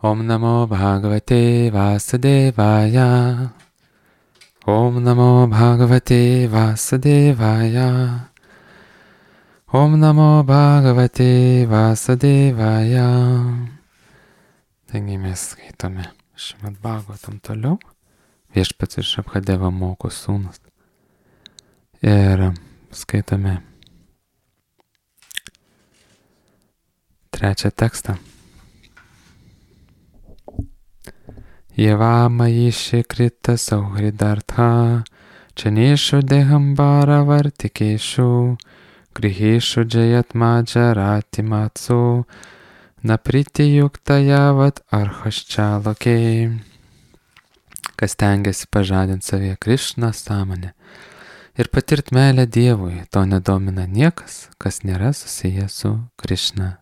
Om Namo Bhagavate Vasudevaya. Om Namo Bhagavate Vasudevaya. Om Namo Bhagavate Vasudevaya. Taigi mes skaitome Šrimad Bhagavatam toliau. Viešpats iš Abhadeva moko sūnus. Ir skaitome trečią tekstą. Yevamayishi krita sauhridartha chaneshu dehambara vartikeshu griheshu jayatmajarati matsu napriti yuktajavat arhaschalokė. Kas tengiasi pažadinti savyje Krišną sąmonę ir patirt meilę Dievui, to nedomina niekas, kas nėra susijęs su Krišna.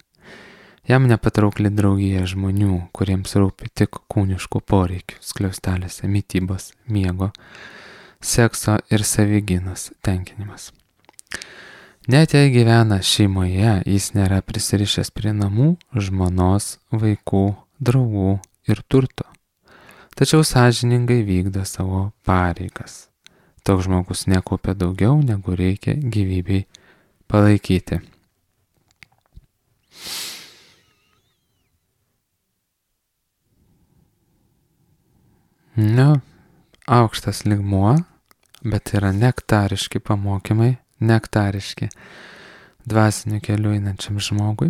Jam nepatraukli draugija žmonių, kuriems rūpi tik kūniškų poreikių, skliaustelėse, mitybos, miego, sekso ir savigynos tenkinimas. Net jei gyvena šeimoje, jis nėra prisirišęs prie namų, žmonos, vaikų, draugų ir turto. Tačiau sąžiningai vykdo savo pareigas. Toks žmogus nekaupia daugiau, negu reikia gyvybei palaikyti. Aukštas lygmuo, bet yra nektariški pamokymai, nektariški dvasiniu keliu einančiam žmogui.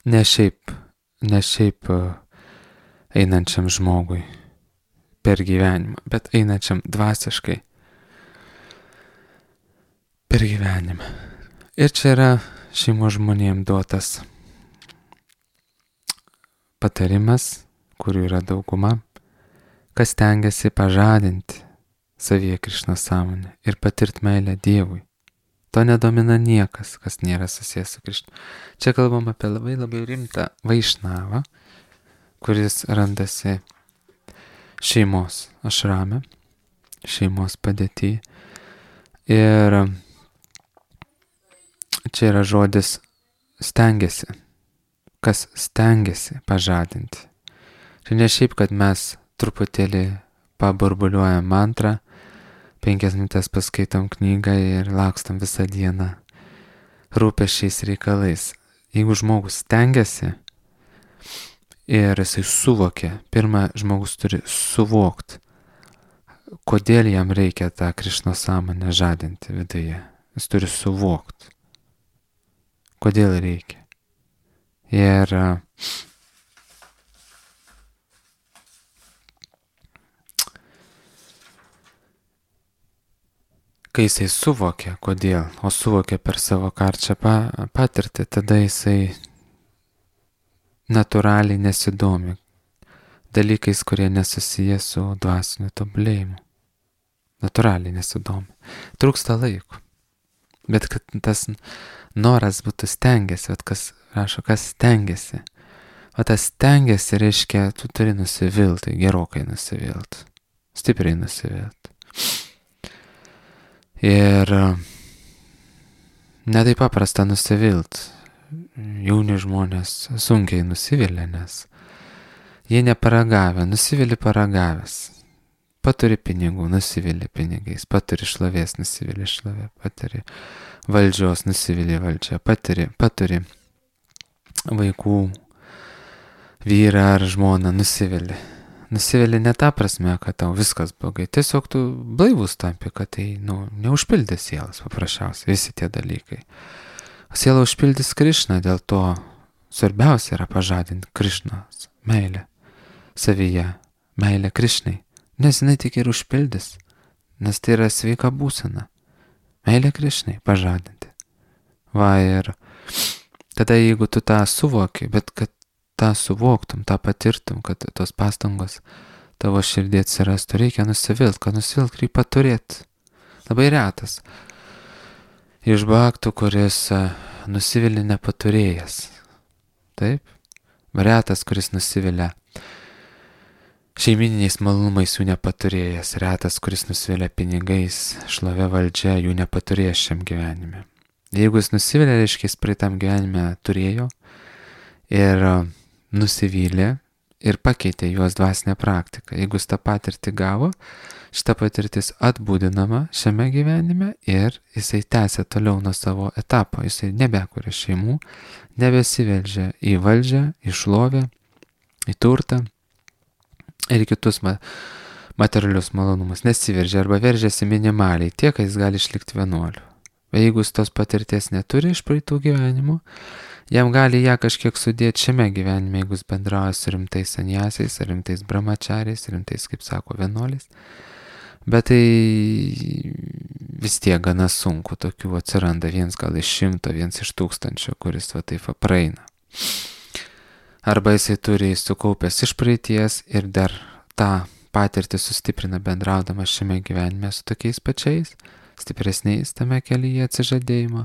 Ne šiaip einančiam žmogui per gyvenimą, bet einančiam dvasiškai per gyvenimą. Ir čia yra šeimos žmonėms duotas patarimas, kurių yra dauguma, kas tengiasi pažadinti savyje Krišnos sąmonę ir patirt meilę Dievui. To nedomina niekas, kas nėra susijęs su Krišna. Čia kalbam apie labai rimtą vaišnavą, kuris randasi šeimos ašrame, šeimos padėty. Ir čia yra žodis stengiasi. Kas stengiasi pažadinti. Čia ne šiaip, kad mes truputėlį paburbuliuojam mantrą, 5 minutės paskaitom knygą ir lakstam visą dieną rūpesčiais reikalais. Jeigu žmogus stengiasi ir jisai suvokia, pirmą žmogus turi suvokti, kodėl jam reikia tą Krišnos sąmonę žadinti viduje. Jis turi suvokti, kodėl reikia. Ir kai jisai suvokia, kodėl, o suvokia per savo karčią patirtį, tada jisai natūraliai nesidomi dalykais, kurie nesusiję su dvasiniu tobulėjimu. Natūraliai nesidomi. Trūksta laiko. Bet kad tas noras būtų stengiasi, kas rašo, kas stengiasi. O tas stengiasi reiškia, tu turi nusivilti, gerokai nusivilti, stipriai nusivilti. Ir netaip paprasta nusivilt. Jauni žmonės sunkiai nusivilia, nes jie neparagavę, nusivili paragavęs. Paturi pinigų, nusivili pinigais, paturi šlovės, nusivili šlovė, paturi valdžios, nusivili valdžia, paturi vaikų, vyrą ar žmoną, nusivili. Nusivili ne tą prasme, kad tau viskas blogai. Tiesiog tu blaivus tampi, kad tai neužpildė sielas paprasčiausiai, visi tie dalykai. O siela užpildys Krišną, dėl to svarbiausia yra pažadinti Krišnos meilę savyje, meilę Krišnai. Nes jinai tik ir užpildys, nes tai yra sveika būsena. Meilę Krišnai pažadinti. Va ir tada jeigu tu tą suvoki, bet kad tą suvoktum, tą patirtum, kad tos pastangos tavo širdį atsirastų, reikia nusivilt, kad nusivilt reikia turėti. Labai retas iš bhaktų, kuris nusivili nepaturėjęs. Taip? Retas, kuris nusivilia šeimininiais malonumais jų nepaturėjęs. Retas, kuris nusivilia pinigais, šlovė valdžia, jų nepaturėjęs šiam gyvenime. Jeigu jis nusivilia, reiškia, jis praeitam gyvenime turėjo ir nusivylė ir pakeitė juos dvasinę praktiką. Jeigu jis tą patirtį gavo, šita patirtis atbūdinama šiame gyvenime ir jisai tęsia toliau nuo savo etapo. Jisai nebekuria šeimų, nebesiveldžia į valdžią, į šlovę, į turtą ir kitus materialius malonumus. Nesiveržia arba veržiasi minimaliai tiek, kad jis gali išlikti vienuoliu. Bet jeigu jis tos patirties neturi iš praeitų gyvenimų, jam gali ją kažkiek sudėti šiame gyvenime, jeigu jis bendrauja su rimtais sanjasiais, rimtais brahmachariais, rimtais, kaip sako, vienuoliais. Bet tai vis tiek gana sunku, tokių atsiranda viens gal iš 100, viens iš 1000, kuris va taip praeina. Arba jisai turi sukaupęs iš praeities ir dar tą patirtį sustiprina bendraudamas šiame gyvenime su tokiais pačiais, stipresniais tame kelyje atsižadėjimo.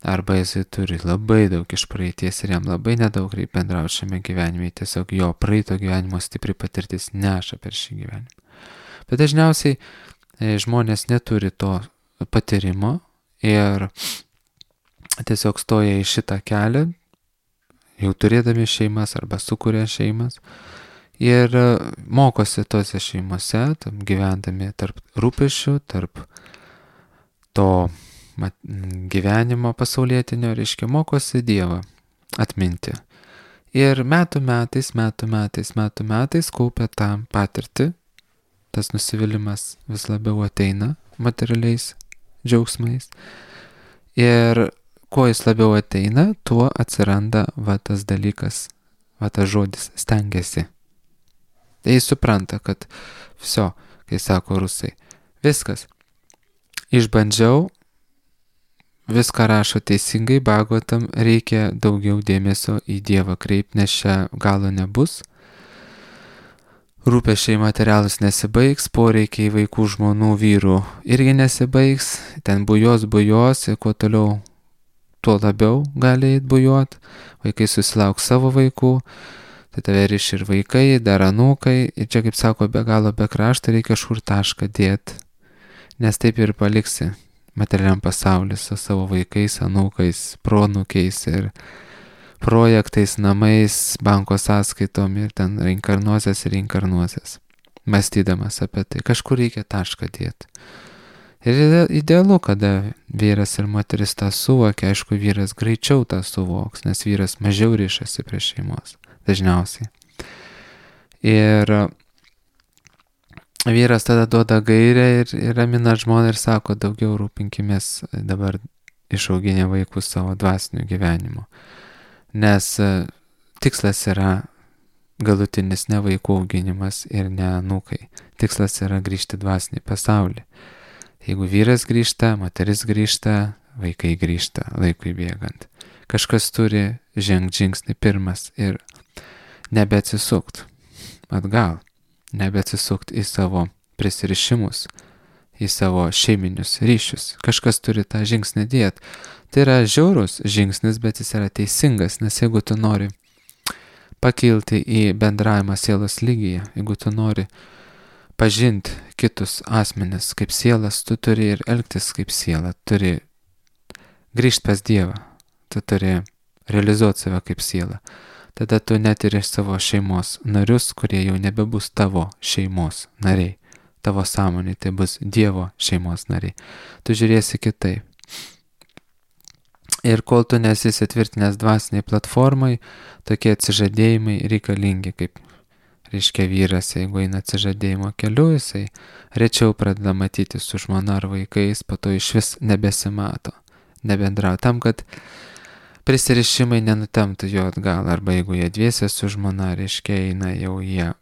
Arba jisai turi labai daug iš praeities ir jam labai nedaug reikia bendrauti šiame gyvenime, tiesiog jo praeito gyvenimo stipri patirtis neša per šį gyvenimą. Bet dažniausiai žmonės neturi to patyrimo ir tiesiog stoja į šitą kelią, jau turėdami šeimas arba sukuria šeimas ir mokosi tose šeimose, gyvendami tarp rūpesčių, tarp to gyvenimo pasaulietinio, reiškia, mokosi Dievą atminti. Ir metų metais kaupia tą patirtį, tas nusivylimas vis labiau ateina materialiais džiaugsmais. Ir kuo jis labiau ateina, tuo atsiranda va tas dalykas, va tas žodis stengiasi. Tai jis supranta, kad viso, kai sako rusai, viskas, išbandžiau, viską rašo teisingai, Bhagavatam reikia daugiau dėmesio į Dievą kreipti, nes čia galo nebus. Rūpesčiai materialus nesibaigs, poreikiai vaikų, žmonų, vyrų irgi nesibaigs, ten bujos ir kuo toliau, tuo labiau gali eit bujot, vaikai susilauks savo vaikų, tai tave riš ir vaikai, dar anūkai, ir čia, kaip sako, be galo be krašto reikia kažkur tašką dėti, nes taip ir paliksi materialiam pasauliu su savo vaikais, anūkais, proanūkiais ir projektais, namais, banko sąskaitom ir ten reinkarnuosias, mąstydamas apie tai. Kažkur reikia tašką dėti. Ir idealu, kada vyras ir moteris tą suvokia, aišku, vyras greičiau tą suvoks, nes vyras mažiau ryšasi prie šeimos, dažniausiai. Ir vyras tada duoda gairę ir ramina žmoną ir sako, daugiau rūpinkimės dabar išauginę vaikus savo dvasiniu gyvenimu. Nes tikslas yra galutinis ne vaikų auginimas ir ne anūkai. Tikslas yra grįžti dvasinį pasaulį. Jeigu vyras grįžta, moteris grįžta, vaikai grįžta laikui bėgant. Kažkas turi žengti žingsnį pirmas ir nebeatsisukt atgal, nebeatsisukt į savo prisirišimus, į savo šeiminius ryšius. Kažkas turi tą žingsnį dėti. Tai yra žiaurus žingsnis, bet jis yra teisingas, nes jeigu tu nori pakilti į bendravimą sielos lygyje, jeigu tu nori pažinti kitus asmenis kaip sielas, tu turi ir elgtis kaip siela, turi grįžti pas Dievą, tu turi realizuoti save kaip siela. Tada tu net ir iš savo šeimos narius, kurie jau nebebus tavo šeimos nariai, tavo sąmonė, tai bus Dievo šeimos nariai. Tu žiūrėsi kitaip. Ir kol tu nesi įsitvirtinęs dvasiniai platformai, tokie atsižadėjimai reikalingi, kaip reiškia vyras, jeigu eina atsižadėjimo keliu, jisai rečiau pradeda matyti su žmona ar vaikais, po to iš vis nebesimato, nebendrauja. Tam, kad prisirišimai nenutemptų jo atgal, arba jeigu jie dviese su žmona, reiškia eina jau jie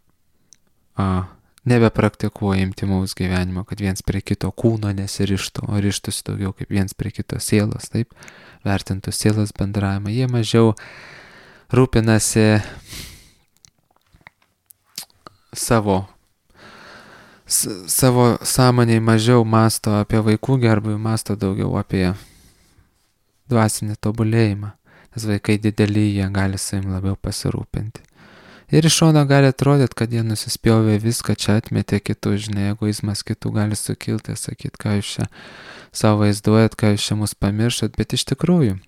nebepraktikuoja intymaus gyvenimo, kad viens prie kito kūno nesirištų, o rištųsi daugiau kaip viens prie kito sielos, taip, vertintų sielos bendravimą. Jie mažiau rūpinasi savo sąmoniai, mažiau masto apie vaikų gerbūvį, masto daugiau apie dvasinį tobulėjimą, nes vaikai dideli, jie gali savim labiau pasirūpinti. Ir iš šono gali atrodyti, kad jie nusispjovė viską, čia atmetė kitus, žinai, egoizmas kitų gali sukilti, sakyti, ką jūs čia savo vaizduojat, ką jūs čia mus pamirštat, bet iš tikrųjų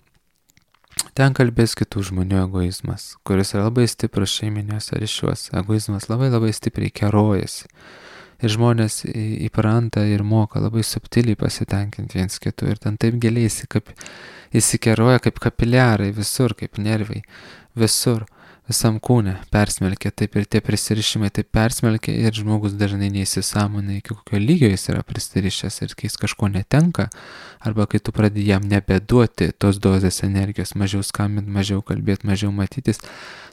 Ten kalbės kitų žmonių egoizmas, kuris yra labai stiprus šeiminiuose ryšiuose. Egoizmas labai labai stipriai kerojasi. Ir žmonės įpranta ir moka labai subtiliai pasitenkinti viens kitų. Ir ten taip giliai įsikeroja kaip kapiliarai visur, kaip nervai. Visur, visam kūne persmelkia. Taip ir tie prisirišimai taip persmelkia ir žmogus dažnai neįsisąmonai, iki kokio lygio jis yra prisirišęs. Ir kai jis kažko netenka, arba kai tu pradedi jam nebeduoti tos dozės energijos, mažiau skambinti, mažiau kalbėti, mažiau matytis,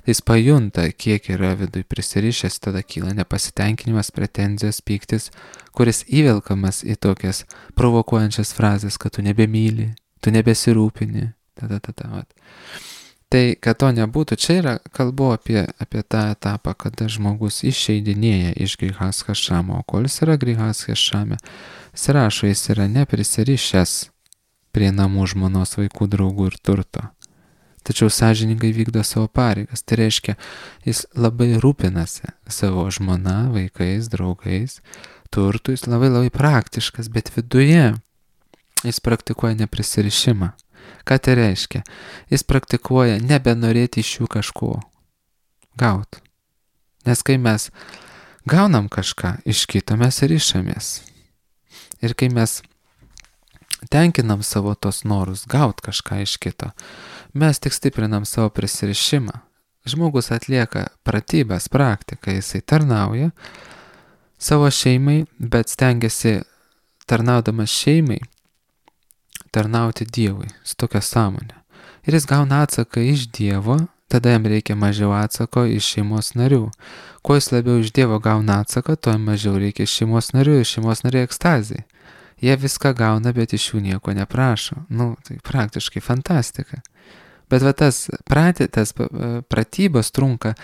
tai jis pajunta, kiek yra vidui prisirišęs, tada kyla nepasitenkinimas, pretenzijos, pyktis, kuris įvelkamas į tokias provokuojančias frazes, kad tu nebemyli, tu nebesirūpini. Tai, kad to nebūtų, čia yra kalbu apie tą etapą, kada žmogus išeidinėja iš grihas hašamo, o kol jis yra grihas hašame, jis rašo, jis yra neprisirišęs prie namų, žmonos, vaikų, draugų ir turto. Tačiau sąžiningai vykdo savo pareigas. Tai reiškia, jis labai rūpinasi savo žmona, vaikais, draugais, turtu, jis labai labai praktiškas, bet viduje jis praktikuoja neprisirišimą. Ką tai reiškia? Jis praktikuoja nebenorėti iš jų kažko gaut. Nes kai mes gaunam kažką iš kito, mes ir išamės. Ir kai mes tenkinam savo tos norus gaut kažką iš kito, mes tik stiprinam savo prisirišimą. Žmogus atlieka pratybas, praktiką, jisai tarnauja savo šeimai, bet stengiasi tarnaudamas šeimai tarnauti Dievui su tokia sąmonė. Ir jis gauna atsaką iš Dievo, tada jam reikia mažiau atsako iš šeimos narių. Kuo jis labiau iš Dievo gauna atsaką, tuo mažiau reikia iš šeimos narių, iš šeimos narių ekstazijai. Jie viską gauna, bet iš jų nieko neprašo. Tai praktiškai fantastika. Bet tas pratybos trunka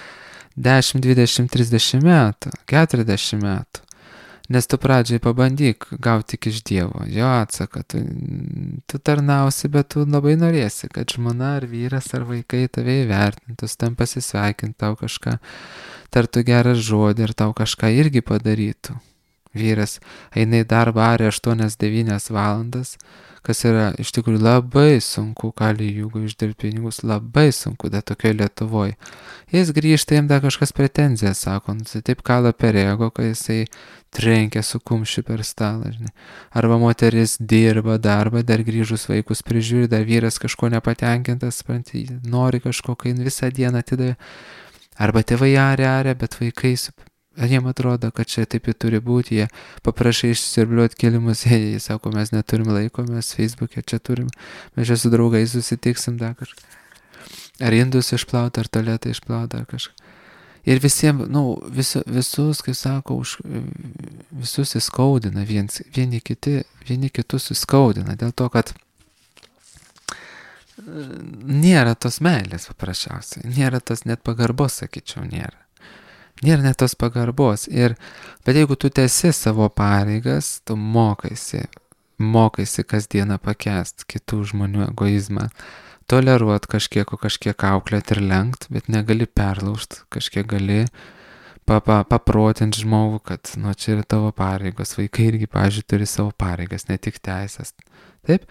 10, 20, 30 metų, 40 metų. Nes tu pradžiai pabandyk gauti tik iš Dievo, jo atsaką, tu tarnausi, bet tu labai norėsi, kad žmona ar vyras ar vaikai tave įvertintų, tam pasisveikintų, tau kažką tartų gerą žodį ir tau kažką irgi padarytų. Vyras eina į darbą arė 8-9 valandas, kas yra iš tikrųjų labai sunku, kali jeigu uždirbti pinigus, labai sunku, da tokioje Lietuvoje. Jis grįžta, jam dar kažkas pretenzija, sako, taip kala per ego, kai jisai trenkia su kumščiu per stalą, žinai. Arba moteris dirba darbą, dar grįžus vaikus prižiūri, dar vyras kažko nepatenkintas, nori kažko, kai visą dieną atidavė. Arba tėvai arė, bet vaikai jiem atrodo, kad čia taip ir turi būti, jie paprašai išsirbliuoti kelimus, jie sako, mes neturim laiko, mes Facebook'e čia turim, mes čia su draugais susitiksim dar kažką. Ar indus išplauti, ar tualetą išplauti, ar kažką. Ir visiems, visus, kaip sako, visus įskaudina, vieni kitus įskaudina, dėl to, kad nėra tos meilės paprasčiausiai, nėra tos net pagarbos, sakyčiau, nėra. Nėra net tos pagarbos. Bet jeigu tu tęsi savo pareigas, tu mokaisi kasdieną pakęsti kitų žmonių egoizmą, toleruot kažkiek auklėt ir lenkt, bet negali perlaužt, kažkiek gali paprotinti žmogų, kad čia yra tavo pareigos. Vaikai irgi, pavyzdžiui, turi savo pareigas, ne tik teisės. Taip?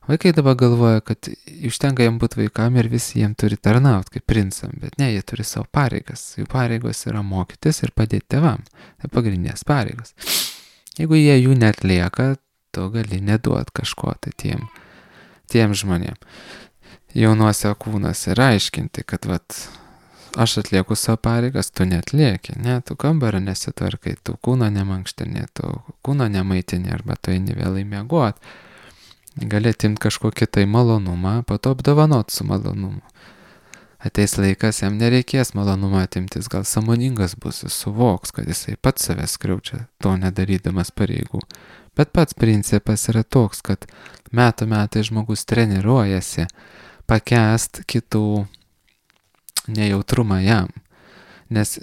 Vaikai dabar galvoja, kad užtenka jam būti vaikam ir visi jiem turi tarnauti kaip princam, bet ne, jie turi savo pareigas. Jų pareigos yra mokytis ir padėti tėvam. Tai pagrindinės pareigos. Jeigu jie jų netlieka, tu gali neduoti kažko tai tiem žmonėm. Jaunuose kūnuose ir aiškinti, kad aš atlieku savo pareigas, tu netlieki, ne, tu kambario nesitvarkai, tu kūno nemankštini, tu kūno nemaitini arba tu eini vėlai miegot. Gali atimti kažkokį tai malonumą, po to apdovanot su malonumu. Ateis laikas, jam nereikės malonumą atimtis, gal sąmoningas bus, jis suvoks, kad jisai pats savęs skriaučia, to nedarydamas pareigų. Bet pats principas yra toks, kad metai žmogus treniruojasi pakęst kitų nejautrumą jam. Nes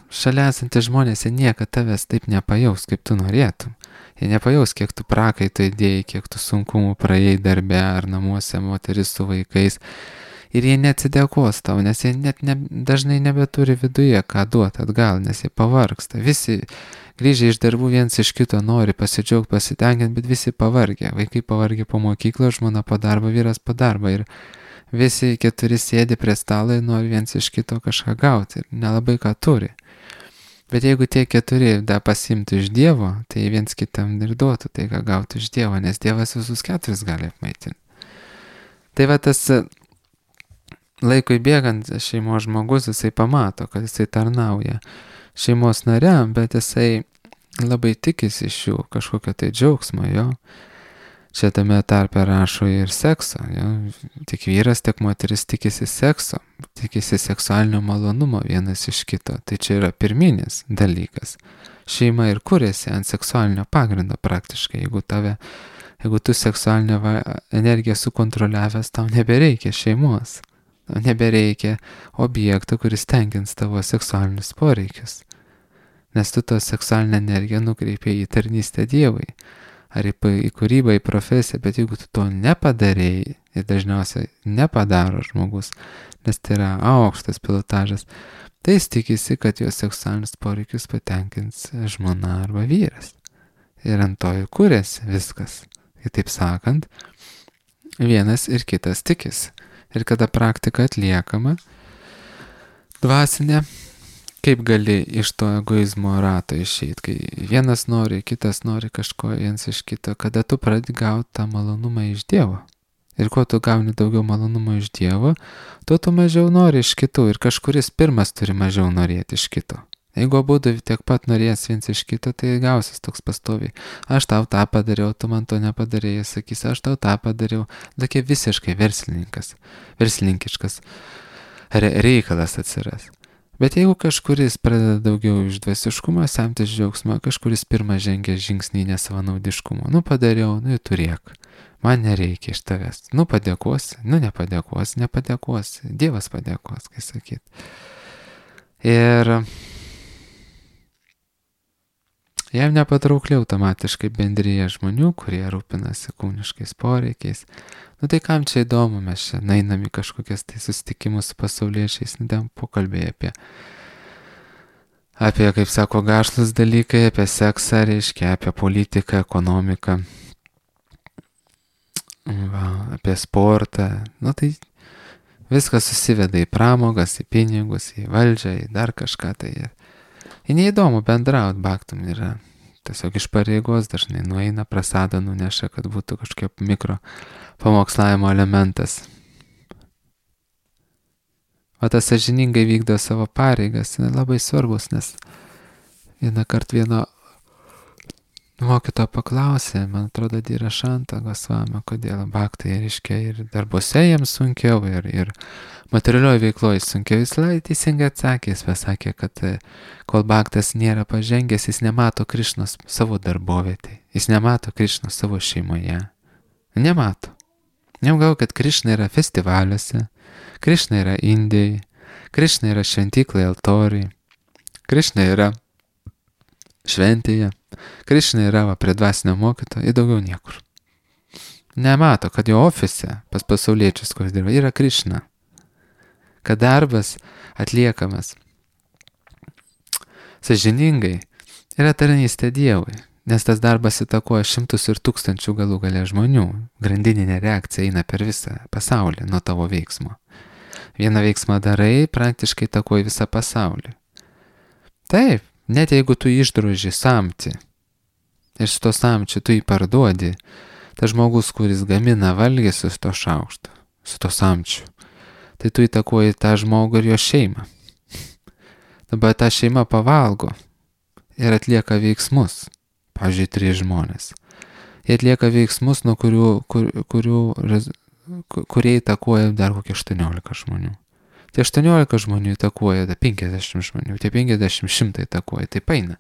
šalia esantys žmonės, jie niekada tavęs taip nepajaus, kaip tu norėtum. Jie nepajaus, kiek tu prakaito įdėjai, kiek tu sunkumų praėjai darbe ar namuose, moteris su vaikais. Ir jie neatsidėkos tau, nes jie dažnai nebeturi viduje ką duoti atgal, nes jie pavargsta. Visi grįžę iš darbų viens iš kito nori pasidžiaugti, pasitenkinti, bet visi pavargę. Vaikai pavargę po mokyklą, žmona po darbo, vyras po darbo. Ir visi 4 sėdi prie stalo ir nori viens iš kito kažką gauti ir nelabai ką turi. Bet jeigu tie 4 dar pasimtų iš Dievo, tai viens kitam ir duotų tai, ką gauti iš Dievo, nes Dievas visus 4 gali apmaitinti. Tai va tas laikui bėgant šeimos žmogus, jisai pamato, kad jisai tarnauja šeimos nariam, bet jisai labai tikisi iš jų kažkokio tai džiaugsmo, jo. Čia tame tarpe rašo ir sekso, jo. Tiek vyras, tiek moteris tikisi sekso, tikisi seksualinio malonumo vienas iš kito. Tai čia yra pirminis dalykas. Šeima ir kuriasi ant seksualinio pagrindo praktiškai. Jeigu tu seksualinę energiją sukontroliavęs, tau nebereikia šeimos. Tau nebereikia objekto, kuris tenkins tavo seksualinius poreikius. Nes tu to seksualinę energiją nukreipi į tarnystę Dievui. Ar į kūrybą, į profesiją, bet jeigu tu to nepadarėjai, ir dažniausiai nepadaro žmogus, nes tai yra aukštas pilotažas, tai jis tikisi, kad jo seksualinius poreikius patenkins žmona arba vyras. Ir ant to ir kuriasi viskas. Kitaip sakant, vienas ir kitas tikisi. Ir kada praktika atliekama, dvasinė, kaip gali iš to egoizmo rato išeiti, kai vienas nori, kitas nori kažko viens iš kito, kada tu pradedi gauti tą malonumą iš Dievo. Ir kuo tu gauni daugiau malonumo iš Dievo, tuo tu mažiau nori iš kitų ir kažkuris pirmas turi mažiau norėti iš kito. Jeigu abudu tiek pat norės viens iš kito, tai gausis toks pastoviai. Aš tau tą padariau, tu man to nepadarėjai, sakysi, aš tau tą padariau. Tokie visiškai verslininkiškas reikalas atsiras. Bet jeigu kažkuris pradeda daugiau iš dvasiškumo, semtis džiaugsmo, kažkuris pirmą žengia žingsnį nesavanaudiškumo. Padariau, turėk. Man nereikia iš tavęs. Padėkosi, nepadėkosi. Dievas padėkos, kai sakyt. Ir jam nepatraukliai automatiškai bendryje žmonių, kurie rūpinasi kūniškais poreikiais. Tai kam čia įdomu, mes čia einam į kažkokias tai susitikimus su pasauliečiais, pokalbėj apie, kaip sako, gašlus dalykai, apie seksą, reiškia, apie politiką, ekonomiką, apie sportą. Tai viskas susiveda į pramogas, į pinigus, į valdžią, į dar kažką tai. Ir neįdomu bendrauti, baktum yra tiesiog iš pareigos, dažnai nueina, prasadą nuneša, kad būtų kažkokia mikro pamokslavimo elementas. O tas sąžiningai vykdo savo pareigas, labai svarbus, nes vieną kartą vieno mokytojo paklausė, man atrodo, Dira Šanta Gosvami, kodėl baktai, reiškia, ir darbuose jiems sunkiau, ir materialioje veikloje sunkiau. Jis teisingai atsakė, jis pasakė, kad kol baktas nėra pažengęs, jis nemato Krišnos savo darbovietėje, jis nemato Krišnos savo šeimoje. Nemato. Negalvoju, kad Krišna yra festivaliuose, Krišna yra Indijai, Krišna yra šventyklai, altoriai, Krišna yra šventėje, Krišna yra prie dvasinio mokytojo ir daugiau niekur. Nemato, kad jo ofise pas pasauliečius, kuris dirba, yra Krišna. Kad darbas atliekamas sąžiningai yra tarnystė Dievui, nes tas darbas įtakoja šimtus ir tūkstančių galų gale žmonių. Grandininė reakcija eina per visą pasaulį nuo tavo veiksmo. Vieną veiksmą darai, praktiškai įtakoja visą pasaulį. Taip, net jeigu tu išdroži samtį ir su to samčiu tu jį parduodi, tas žmogus, kuris gamina valgį su to šaukštu, su to samčiu, tai tu įtakoji tą žmogų ir jo šeimą. Dabar ta šeima pavalgo ir atlieka veiksmus. Pavyzdžiui, 3 žmonės. Jie atlieka veiksmus, nuo kurie įtakoja dar kokie 18 žmonių. Tie 18 žmonių įtakoja 50 žmonių, tie 50 100 įtakoja, tai paina.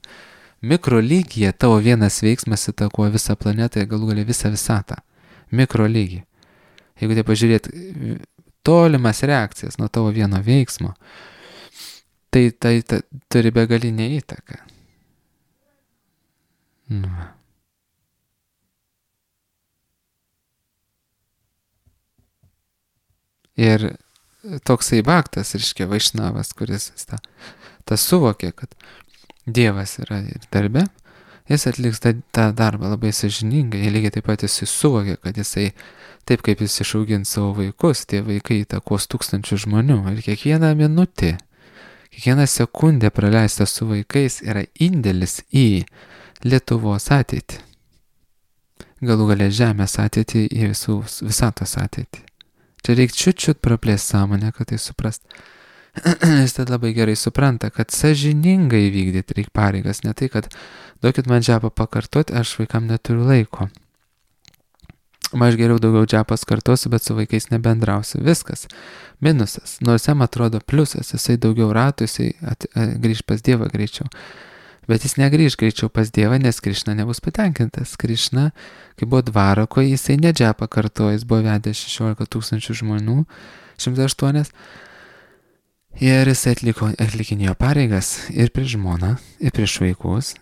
Mikro lygyje tavo vienas veiksmas įtakoja visą planetą ir galų galia visą visatą. Mikro lygy. Jeigu tai pažiūrėt tolimas reakcijas nuo tavo vieno veiksmo, tai turi begalinę įtaką. Ir toksai baktas, reiškia Vaišnavas, kuris tą suvokė, kad Dievas yra ir darbe, Jis atliks tą darbą labai sąžiningai, lygiai taip pat jisai suvokia, kad jisai, taip kaip jis išaugins savo vaikus, tie vaikai įtakos tūkstančių žmonių. Ir kiekvieną minutę, kiekvieną sekundę praleista su vaikais yra indėlis į Lietuvos ateitį. Galų galia žemės ateitį, į visatos ateitį. Čia reikia čiut praplėsti sąmonę, kad tai suprast. Jis tad labai gerai supranta, kad sąžiningai vykdyti reikia pareigas, ne tai, kad duokit man džepą pakartoti, aš vaikam neturiu laiko. Aš geriau daugiau džepas kartosiu, bet su vaikais nebendrausiu. Viskas. Minusas. Nors jam atrodo pliusas, jisai daugiau ratų, jisai grįž pas Dievą greičiau. Bet jis negrįž greičiau pas Dievą, nes Krišna nebus patenkintas. Krišna, kai buvo dvarako, jisai ne džepą kartojo, jis buvo vedęs 16 000 žmonių, 108. Ir jis atlikinėjo pareigas ir prieš žmoną, ir prieš vaikus,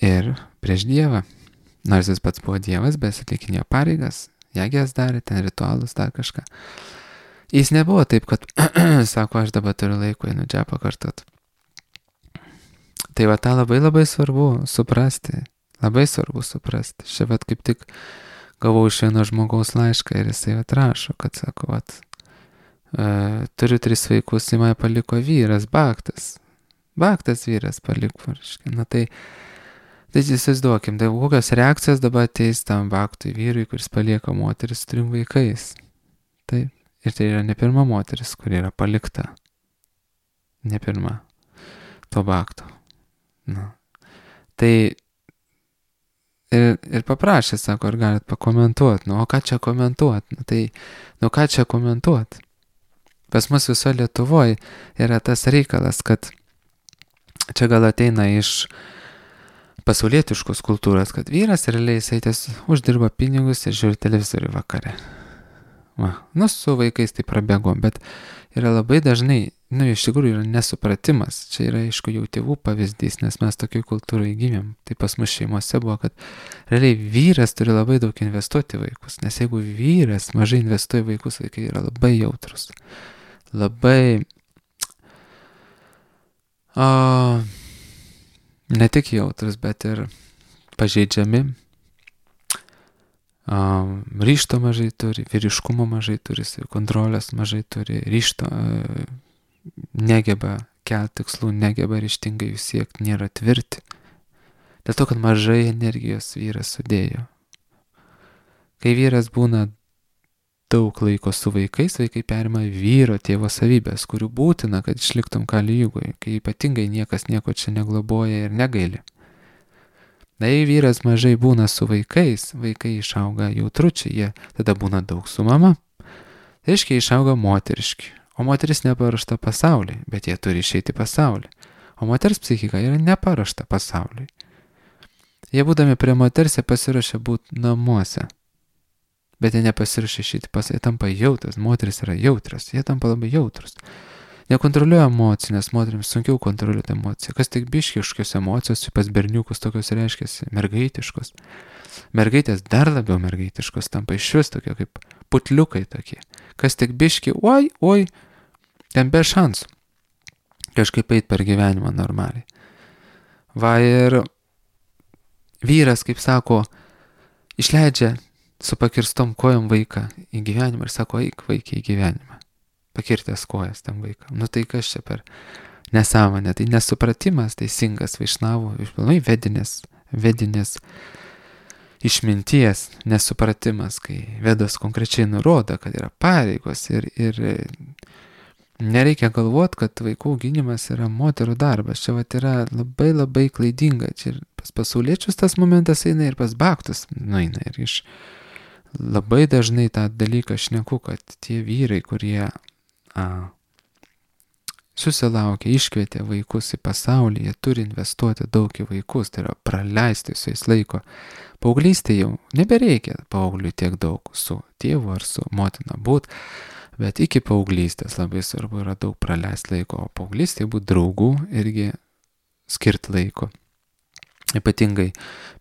ir prieš Dievą. Nors jis pats buvo Dievas, bet jis atlikinėjo pareigas, jagės darė, ten ritualus, dar kažką. Jis nebuvo taip, kad, sako, aš dabar turiu laiko, einu džepą kartot. Tai va tą labai svarbu suprasti, labai svarbu suprasti. Čia vat kaip tik gavau iš vieno žmogaus laišką ir jisai atrašo, kad sako, vat, turiu 3 vaikus, į mane paliko vyras, baktas. Baktas vyras paliko, reiškia. Na tai įsivaizduokim, tai kokios reakcijos dabar ateis tam baktui vyrui, kuris palieka moteris su 3 vaikais. Taip. Ir tai yra ne pirma moteris, kuri yra palikta. Ne pirma. To bakto. Na. Tai ir paprašė, sako, ar galit pakomentuoti. Nu, o ką čia komentuoti? Ką čia komentuoti? Pas mus viso Lietuvoje yra tas reikalas, kad čia gal ateina iš pasaulietiškos kultūros, kad vyras realiai jisai uždirba pinigus ir žiūri televizorių vakare. Su vaikais tai prabėgom, bet yra labai dažnai, iš tikrųjų yra nesupratimas. Čia yra, aišku, jau tėvų pavyzdys, nes mes tokioj kultūrai gimėm. Tai pas mus šeimose buvo, kad realiai vyras turi labai daug investuoti į vaikus, nes jeigu vyras mažai investuoja į vaikus, vaikai yra labai jautrus. Labai ne tik jautrus, bet ir pažeidžiami. Ryžto mažai turi, vyriškumo mažai turi, kontrolės mažai turi, ryžto negeba kelti tikslų, negeba ryžtingai jų siekti, nėra tvirti. Dėl to, kad mažai energijos vyras sudėjo. Kai vyras būna daug laiko su vaikais, vaikai perima vyro tėvo savybės, kurių būtina, kad išliktum kalijugoje, kai ypatingai niekas nieko čia negloboja ir negaili. Jei vyras mažai būna su vaikais, vaikai išauga jautručiai, jie tada būna daug su mama. Tai reiškia, išauga moteriški, o moteris neparuošta pasauliui, bet jie turi išeiti pasaulį. O moters psichika yra neparuošta pasauliui. Jie būdami prie moters, jie pasiruošia būti namuose. Bet jie nepasiruošia išeiti pasaulį, jie tampa jautrus, moteris yra jautrus, jie tampa labai jautrus. Nekontroliuoja emocijų, nes moterims sunkiau kontroliuoti emociją. Kas tik biški kažkokios emocijos, pas berniukus tokios reiškiasi mergaitiškos. Mergaitės dar labiau mergaitiškos tampa iš vis tokie kaip putliukai tokie. Kas tik biški, oi, ten be šansų. Kažkaip eit per gyvenimą normaliai. Va ir vyras, kaip sako, išleidžia su pakirstom kojom vaiką į gyvenimą ir sako, eik vaikį į gyvenimą. Pakirtęs kojas tam vaikam. Tai kas čia per nesąmonė, tai nesupratimas teisingas vaišnavų, išpilnai vedinės išminties nesupratimas, kai vedos konkrečiai nurodo, kad yra pareigos ir nereikia galvoti, kad vaikų auginimas yra moterų darbas. Čia yra labai klaidinga. Čia ir pas pasauliečius tas momentas eina ir pas baktus nueina. Ir iš labai dažnai tą dalyką šneku, kad tie vyrai, kurie susilaukia, iškvietė vaikus į pasaulį, jie turi investuoti daug į vaikus, tai yra praleisti su jais laiko. Paauglystėje jau nebereikia paaugliui tiek daug su tėvu ar su motina būt, bet iki paauglystės labai svarbu yra daug praleisti laiko, o paauglystėje būt draugų irgi skirti laiko. Ypatingai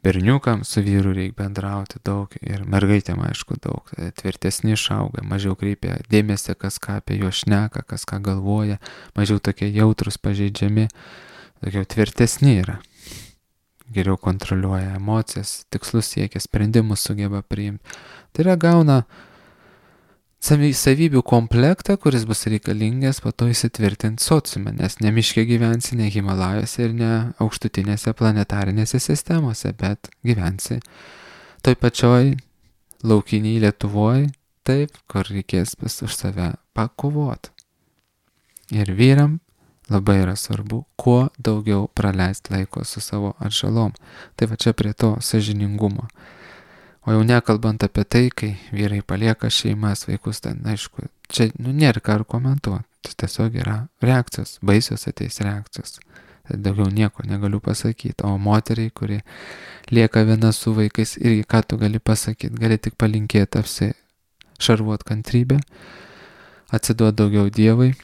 berniukam su vyru reikia bendrauti daug ir mergaitėm aišku daug, tvirtesni išauga, mažiau kreipia dėmesį, kas ką apie juos šneka, kas ką galvoja, mažiau tokie jautrus, pažeidžiami, tokie tvirtesni yra. geriau kontroliuoja emocijas, tikslus siekia, sprendimus sugeba priimti. Tai yra gauna savybių komplektą, kuris bus reikalingas po to įsitvirtinti sociume, nes ne miške gyvensi, ne Himalajose ir ne aukštutinėse planetarinėse sistemose, bet gyvensi toj pačioj laukiniai Lietuvoje, taip, kur reikės už save pakovoti. Ir vyram labai yra svarbu, kuo daugiau praleisti laiko su savo atžalom. Tai va čia prie to sąžiningumo. O jau nekalbant apie tai, kai vyrai palieka šeimas, vaikus, ten aišku, čia nėra ką komentuoti. Tai tiesiog yra reakcijos, baisios ateis reakcijos. Tai daugiau nieko negaliu pasakyti. O moteriai, kuri lieka viena su vaikais, irgi ką tu gali pasakyti, gali tik palinkėti apsišarvuot kantrybę, atsiduoti daugiau Dievui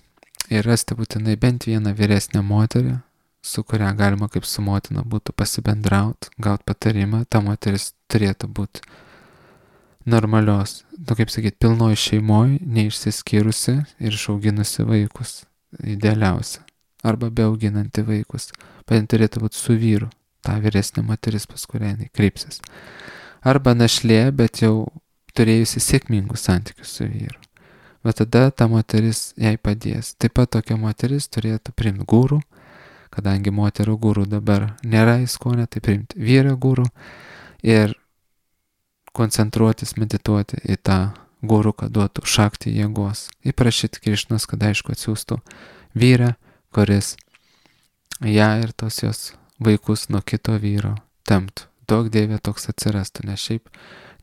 ir rasti būtinai bent vieną vyresnę moterį, su kuria galima kaip su motina būtų pasibendrauti, gauti patarimą. Ta moteris turėtų būti normalios, kaip sakyti, pilnoj šeimoj, neišsiskyrusi ir išauginusi vaikus, idealiausia. Arba beauginanti vaikus. Bet turėtų būti su vyru, ta vyresnė moteris, pas kurią jinai kreipsis. Arba našlė, bet jau turėjusi sėkmingus santykius su vyru. Bet tada ta moteris jai padės. Taip pat tokia moteris turėtų priimti gūrų, kadangi moterų gūrų dabar nėra įskonė, tai priimti vyrą gūrų ir koncentruotis, medituoti į tą gūrų, kad duotų šakti jėgos. Įprašyti Krišnos, kad aišku atsiųstų vyrą, kuris ją ir tos jos vaikus nuo kito vyro temptų. Daug Dieve toks atsirastų, nes šiaip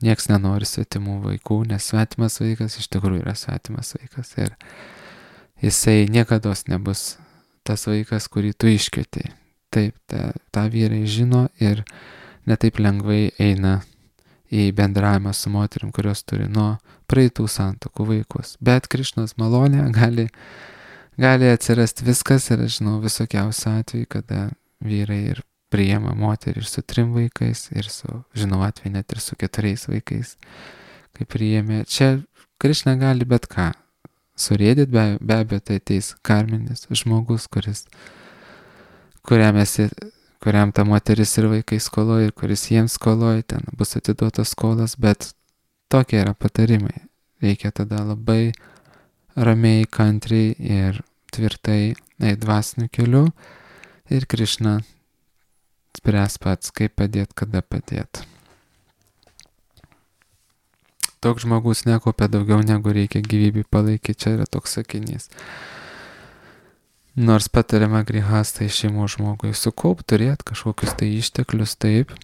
nieks nenori svetimų vaikų, nes svetimas vaikas iš tikrųjų yra svetimas vaikas ir jisai niekados nebus tas vaikas, kurį tu iškvietei. Taip, tą vyrai žino ir netaip lengvai eina į bendravimą su moterim, kurios turi nuo praeitų santuokų vaikus. Bet Krišnos malonė gali atsirasti viskas ir aš žinau visokiausių atvejų, kada vyrai ir priima moterį ir su 3 vaikais, ir žinau atveju net ir su 4 vaikais, kai priėmė. Čia Krišna gali bet ką surėdyti, be abejo tai ateis karminis žmogus, kuriam ta moteris ir vaikai skoloja ir kuris jiems skoloja, ten bus atiduotas skolas, bet tokie yra patarimai. Reikia tada labai ramiai, kantriai ir tvirtai eiti dvasiniu keliu ir Krišna spręs pats, kaip padėti, kada padėti. Toks žmogus nekaupia daugiau negu reikia gyvybei palaikyti, čia yra toks sakinys. Nors patariama grihastai šeimos žmogui sukaupti, turėti kažkokius tai išteklius, taip.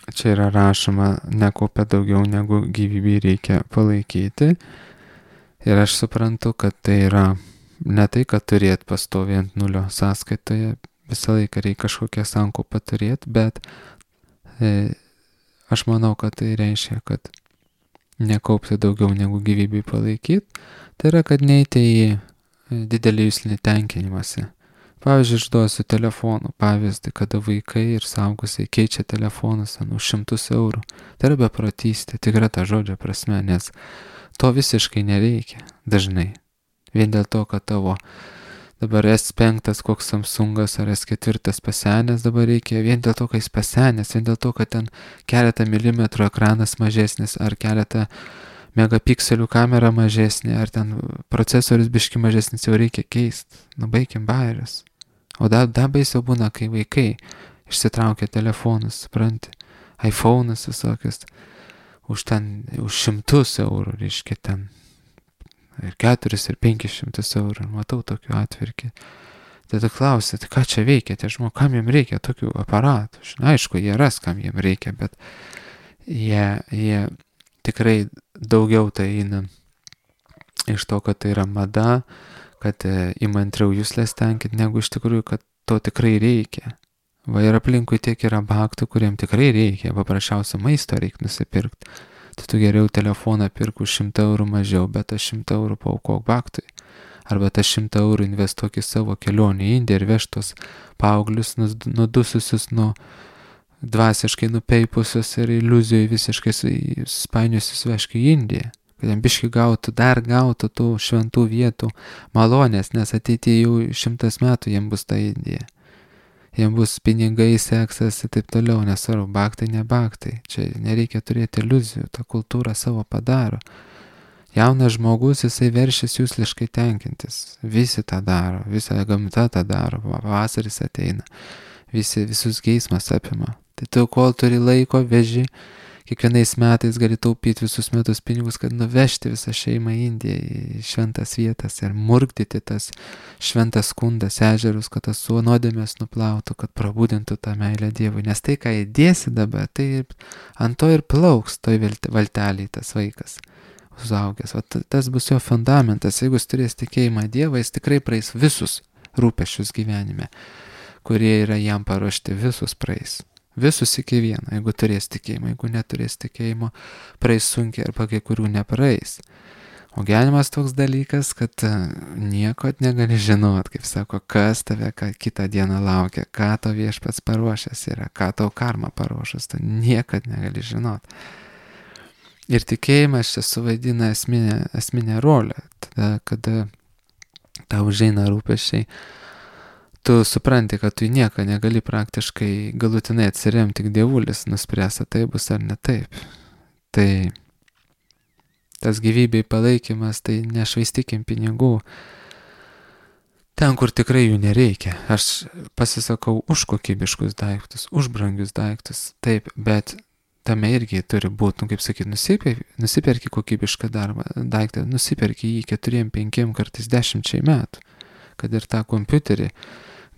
Čia yra rašoma, nekaupia daugiau negu gyvybei reikia palaikyti. Ir aš suprantu, kad tai yra ne tai, kad turėti pastoviai ant nulio sąskaitoje, visą laiką reikia kažkokią sankaupą turėti, bet aš manau, kad tai reiškia, kad nekaupti daugiau negu gyvybei palaikyti. Tai yra, kad neiti į didelį jūslinį tenkinimąsi. Pavyzdžiui, išduosiu telefonų pavyzdį, kada vaikai ir suaugusiai keičia telefonus už 100 eurų. Tai yra beprotystė, tikra ta žodžio prasme, nes to visiškai nereikia dažnai. Vien dėl to, kad tavo dabar S5 koks Samsungas ar S4 pasenęs dabar reikia, vien dėl to, kad jis pasenęs, vien dėl to, kad ten keletą milimetrų ekranas mažesnis ar keletą megapikselių kamera mažesnė, ar ten procesorius biški mažesnis, jau reikia keisti. Baikim bajerius. O dar baisiau būna, kai vaikai išsitraukia telefonus, supranti, iPhone'us visokius, už 100 eurų, reiškia ten, ir 4 ir 500 eurų, matau tokių atvirkį. Tada klausia, tai ką čia veikia, tie žmonės, kam jiem reikia tokių aparatų? Aišku, jie ras, kam jiem reikia, bet jie tikrai daugiau tai eina iš to, kad tai yra mada, kad įmantriau jūslės tenkit, negu iš tikrųjų, kad to tikrai reikia. Va ir aplinkui tiek yra baktų, kuriem tikrai reikia, paprasčiausia maisto reikia nusipirkti. Tai tu geriau telefoną pirk už 100 eurų mažiau, bet tas 100 eurų paaukok baktui. Arba tas 100 eurų investuok į savo kelionę į Indiją ir vežtos paauglius nudususius nuo dvasiškai nupeipusios ir iliuzijų visiškai spainiusius vežk į Indiją, kad jam biški gautų tų šventų vietų malonės, nes ateityje jau 100 metų jam bus ta Indija. jam bus pinigai, seksas ir taip toliau, nesvarbu, baktai, ne baktai. Čia nereikia turėti iliuzijų, ta kultūra savo padaro. Jaunas žmogus, jisai veršis jūsliškai tenkintis. Visi tą daro, visa gamta tą daro, pavasaris ateina, visus geismas apima. Tai tu, kol turi laiko, veži, kiekvienais metais gali taupyti visus metus pinigus, kad nuvežti visą šeimą į Indiją, į šventas vietas ir murkdyti tas šventas kundas, ežerus, kad tas nuodėmės nuplautų, kad prabudintų tą meilę Dievui. Nes tai, ką įdėsi dabar, tai ant to ir plauks toj valtelį tas vaikas užaugęs. O tas bus jo fundamentas. Jeigu jis turės tikėjimą Dievą, jis tikrai praeis visus rūpesčius gyvenime, kurie yra jam paruošti, visus praeis. Visus iki vieno, jeigu turės tikėjimą. Jeigu neturės tikėjimo, praeis sunkiai arba kai kurių nepraeis. O gyvenimas toks dalykas, kad nieko negali žinot, kaip sako, kas tave kitą dieną laukia, ką to viešpats paruošęs yra, ką tau karma paruošęs, tu niekad negali žinot. Ir tikėjimas čia suvaidina esminę rolę. Tada, kada tau užeina rūpesčiai, tu supranti, kad tu į nieką negali praktiškai galutinai atsiremti, tik dievulis nuspręs, ar tai bus ar ne taip. Tai tas gyvybei palaikymas, tai nešvaistykim pinigų ten, kur tikrai jų nereikia. Aš pasisakau už kokybiškus daiktus, už brangius daiktus, taip, bet tame irgi turi būti, kaip sakyti, nusiperki kokybišką daiktą, nusiperki jį 4, 5, kartais 10 metų, kad ir tą kompiuterį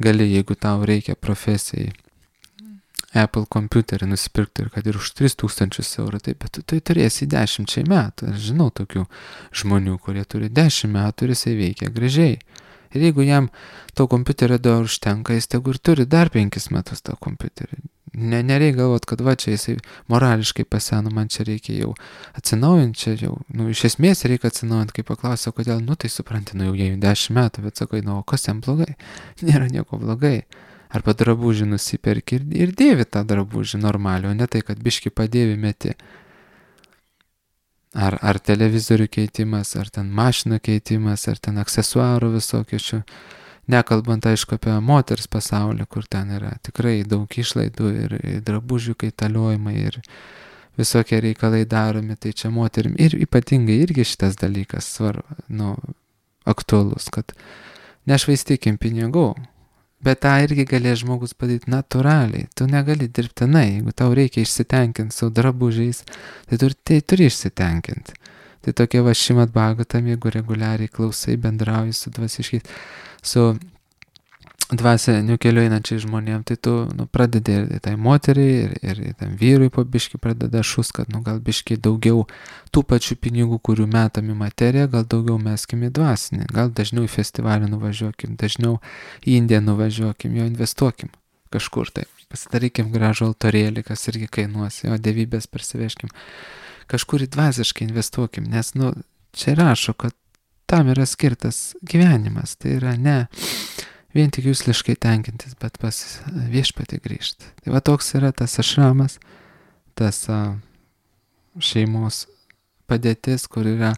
gali, jeigu tau reikia profesijai, Apple kompiuterį nusipirkti ir kad ir už 3000 eurų, taip, bet tai turėsi 10 metų. Aš žinau tokių žmonių, kurie turi 10 metų ir jisai veikia gražiai. Ir jeigu jam to kompiuterio dar užtenka, jis tegu ir turi dar 5 metus tą kompiuterį. Nereikia galvot, kad va čia jisai morališkai paseno, man čia reikia jau atsinaujinti, čia jau, iš esmės reikia atsinaujinti, kai paklausiau, kodėl, tai supranti, jau jai 10 metų, bet sakai, o kas jam blogai? Nėra nieko blogai. Arba drabužį nusiperki ir dėvi tą drabužį normaliai, o ne tai, kad biški padėvi meti. Ar televizorių keitimas, ar ten mašinų keitimas, ar ten aksesuarų visokių šių. Nekalbant, aišku, apie moters pasaulį, kur ten yra tikrai daug išlaidų ir drabužių kaitaliojimai ir visokie reikalai daromi, tai čia moterim ir ypatingai irgi šitas dalykas aktualus, kad nešvaistykim pinigų, bet tą irgi galės žmogus padaryti natūraliai, tu negali dirbtinai, jeigu tau reikia išsitenkinti su drabužiais, tai turi išsitenkinti. Tai tokie va Šrimad Bhagavatam, jeigu reguliariai klausai, bendrauji su dvasiškiais, su dvasiniu keliu einančiai žmonėm, tai tu pradedi ir tai moteriai, ir tam vyrui po biškį pradeda šus, kad gal biškį daugiau tų pačių pinigų, kurių metam į materiją, gal daugiau meskim į dvasinį, gal dažniau į festivalį nuvažiuokim, dažniau į Indiją nuvažiuokim, jo investuokim kažkur tai, pasidarykim gražų altorėlį, kas irgi kainuos, jo dievybės persiveškim, kažkur į dvasiškai investuokim, nes čia rašo, kad tam yra skirtas gyvenimas, tai yra ne vien tik jūsliškai tenkintis, bet pas viešpatį grįžti. Tai va toks yra tas ašramas, tas šeimos padėtis, kur yra,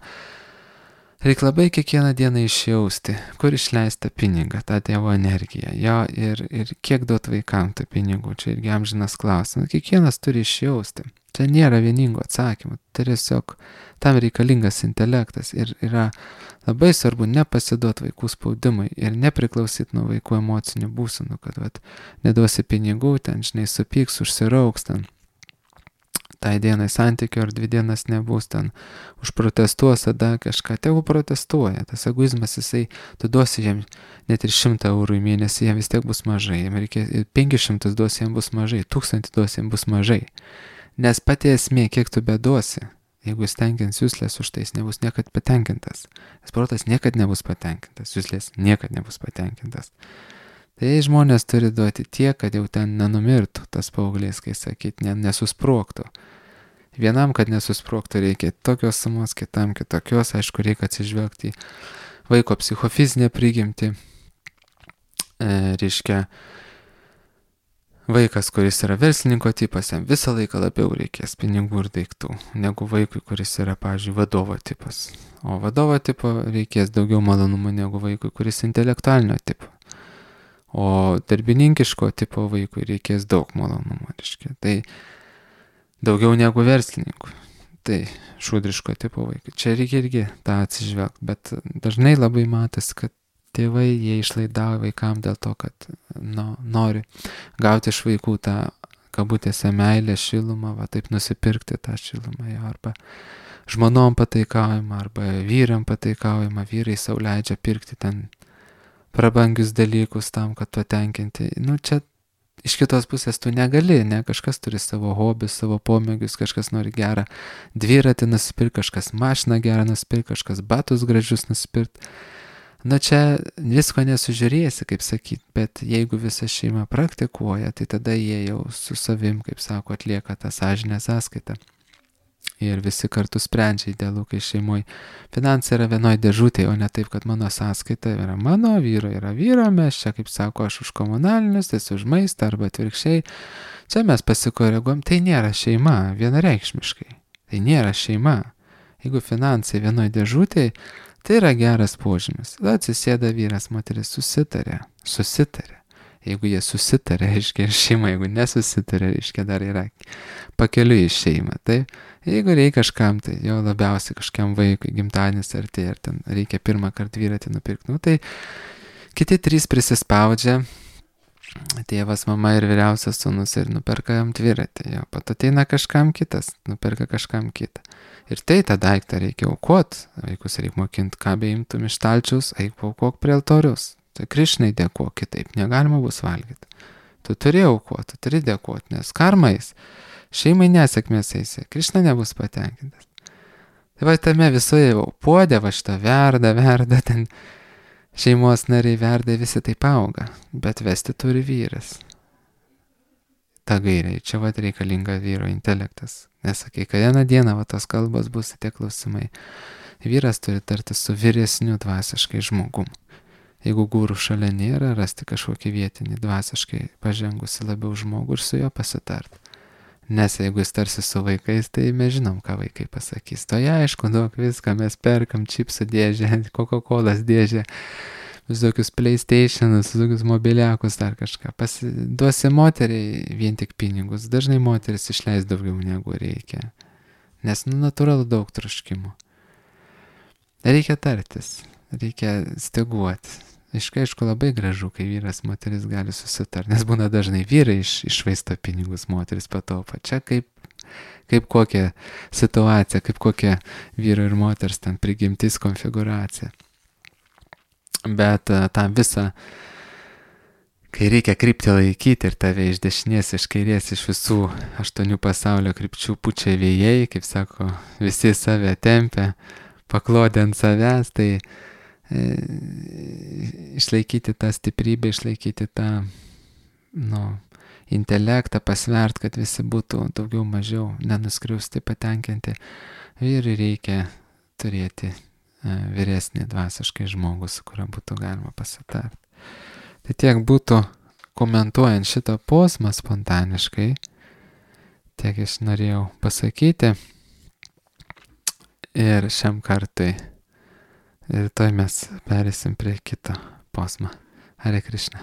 reikia labai kiekvieną dieną išjausti, kur išleista pinigą, tą Dievo energiją, jo ir kiek duot vaikam tų pinigų, čia irgi amžinas klausimas, kiekvienas turi išjausti. Čia nėra vieningo atsakymų, tai tiesiog tam reikalingas intelektas ir yra labai svarbu nepasiduoti vaikų spaudimui ir nepriklausyti nuo vaikų emocinių būsenų, kad neduosi pinigų, ten supyks, užsirauks, ten tai dienai santykio ar 2 dienas nebus, ten užprotestuos, tada kažką, tegu protestuoja, tas egoizmas jisai, tu duosi jam net ir 100 eurų į mėnesį, jam vis tiek bus mažai, jam reikia 500 duosi, jam bus mažai, 1000 duosi, jam bus mažai. Nes pati esmė, kiek tu beduosi, jeigu jis tenkins jūslės už tai, jis nebus niekad patenkintas. Nes protas niekad nebus patenkintas, jūslės niekad nebus patenkintas. Tai žmonės turi duoti tiek, kad jau ten nenumirtų tas paauglys, kai sakyt, nesusprogtų. Vienam, kad nesusprogtų, reikia tokios sumos, kitam kitokios, aišku, reikia atsižvelgti į vaiko psichofizinę prigimtį, reiškia, vaikas, kuris yra verslininko tipas, jam visą laiką labiau reikės pinigų ir daiktų, negu vaikui, kuris yra, pavyzdžiui, vadovo tipas. O vadovo tipo reikės daugiau malonumų negu vaikui, kuris intelektualinio tipo. O darbininkiško tipo vaikui reikės daug malonumo, reiškia. Tai daugiau negu verslininkui. Tai šūdriško tipo vaikai. Čia reikia irgi tą atsižvelgti, bet dažnai labai matosi, kad tėvai jie išlaidauja vaikam dėl to, kad nori gauti iš vaikų tą kabutėse meilę, šilumą, va taip nusipirkti tą šilumą, arba žmonom pataikaujama, arba vyram pataikaujama, vyrai sau leidžia pirkti ten prabangius dalykus tam, kad patenkinti. Čia iš kitos pusės tu negali, ne, kažkas turi savo hobius, savo pomėgius, kažkas nori gerą dviratį nusipirkti, kažkas mašiną gerą nusipirkti, kažkas batus gražius nusipirkti. Čia visko nesužiūrėsi, kaip sakyti, bet jeigu visa šeima praktikuoja, tai tada jie jau su savim, kaip sako, atlieka tą sąžinę sąskaitą. Ir visi kartu sprendžia idealu, kai šeimoje finansai yra vienoj dėžutėje, o ne taip, kad mano sąskaita yra mano, vyro yra vyro, mes čia, kaip sako, aš už komunalinius, tai už maistą arba atvirkščiai. Čia mes pasikoreguom, tai nėra šeima, vienareikšmiškai. Tai nėra šeima. Jeigu finansai vienoj dėžutėje, tai yra geras požymis. Tada atsisėda vyras, moteris susitarė. Jeigu jie susitarė, reiškia šeima, jeigu nesusitarė, reiškia dar yra pakeliui į šeimą. Tai jeigu reikia kažkam, tai jau labiausiai kažkiam vaikui, gimtadienis artėja, ir ten reikia pirmą kartą dviratį nupirkti, tai kiti 3 prisispaudžia, tėvas, mama ir vyriausias sūnus ir nuperka jam dviratį, jo, pat ateina kažkam kitas, nuperka kažkam kitą. Ir tai tą daiktą reikia aukoti, vaikus reikia mokinti, ką beimtum iš stalčiaus, eik paaukok prie altoriaus. Tai Krišnai dėkuok, kitaip negalima bus valgyti. Tu turi aukoti, tu turi dėkuoti, nes karmais šeimai nesėkmės eisi, Krišna nebus patenkintas. Tai va tame visoje puodė, va šitą verda, ten šeimos nariai verda, visi taip auga, bet vesti turi vyras. Ta gairiai, čia va reikalinga vyro intelektas. Nesakai, kad vieną dieną va tos kalbos bus tie klausimai. Vyras turi tarti su vyresniu dvasiškai žmogum. Jeigu gūrų šalia nėra, rasti kažkokį vietinį dvasiškai pažengusi labiau žmogų ir su juo pasitarti. Nes jeigu jis tarsi su vaikais, tai mes žinom, ką vaikai pasakys. To aišku, daug viską, mes perkam čipsų dėžę, Coca-Colas dėžę, visokius PlayStationus, visokius mobiliakus, dar kažką. Duosi moteriai vien tik pinigus. Dažnai moteris išleis daugiau negu reikia. Nes natūralu daug troškimų. Reikia tartis, reikia steguoti. Aišku, labai gražu, kai vyras, moteris gali susitarti, nes būna dažnai vyrai iššvaisto pinigus, moteris pataupa. Čia kaip kokia situacija, kaip kokia vyro ir moters ten prigimtis konfiguracija. Bet tam visą, kai reikia kryptį laikyti ir tave iš dešinės, iš kairės, iš visų 8 pasaulio krypčių pučia vėjai, kaip sako, visi save tempia, paklodė ant savęs, tai išlaikyti tą stiprybę, išlaikyti tą intelektą, pasvert, kad visi būtų daugiau mažiau nenuskriausti, patenkinti. Vyrui reikia turėti vyresnį dvasiškai žmogų, su kuriuo būtų galima pasitarti. Tai tiek būtų komentuojant šitą posmą spontaniškai, tiek aš norėjau pasakyti. Ir šiam kartui rytoj mes perėsim prie kito posmą. Hare Krishna.